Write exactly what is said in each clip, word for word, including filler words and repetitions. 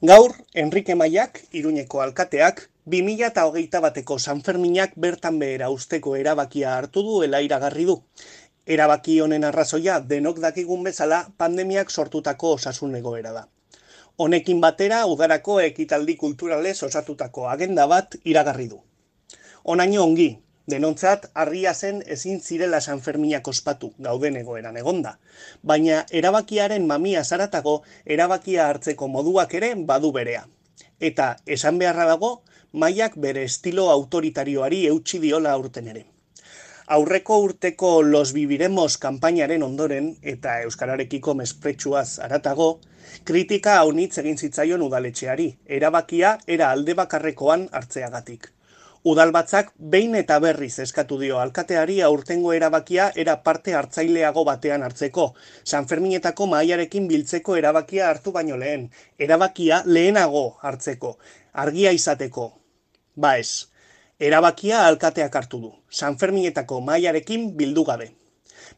Gaur, Enrique Maiak, Iruñeko alkateak, bi mila hogeita bateko Sanferminak bertan behera usteko erabakia hartu duela iragarri du. Erabaki honen arrazoia denok dakigun bezala pandemiak sortutako osasun egoera da. Honekin batera udarako ekitaldi kulturalez osatutako agenda bat iragarri du. Honaino ongi, denontzat harria zen ezin zirela Sanferminak ospatu gauden egoeran egonda, baina erabakiaren mamia zaratago erabakia hartzeko moduak ere badu berea. Eta esan beharra dago, Maiak bere estilo autoritarioari eutsi diola aurten ere. Aurreko urteko Los Viviremos kanpainaren ondoren eta euskararekiko mespretsuaz haratago, kritika haunitz egin zitzaion udaletxeari, erabakia era alde bakarrekoan hartzeagatik. Udalbatzak behin eta berriz eskatu dio alkateari aurtengo erabakia era parte hartzaileago batean hartzeko, Sanferminetako mahaiarekin biltzeko erabakia hartu baino lehen, erabakia lehenago hartzeko, argia izateko. Ba ez, erabakia alkateak hartu du, Sanferminetako mahaiarekin bildu gabe.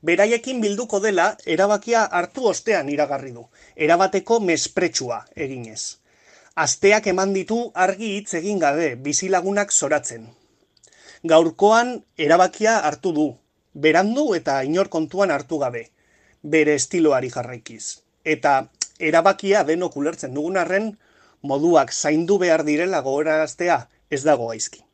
Beraiekin bilduko dela erabakia hartu ostean iragarri du, erabateko mespretsua eginez. Asteak eman ditu argi hitz egin gabe, bizilagunak zoratzen. Gaurkoan erabakia hartu du, berandu eta inor kontuan hartu gabe, bere estiloari jarraikiz. Eta erabakia denok ulertzen dugun arren, moduak zaindu behar direla gogoraraztea ez dago gaizki.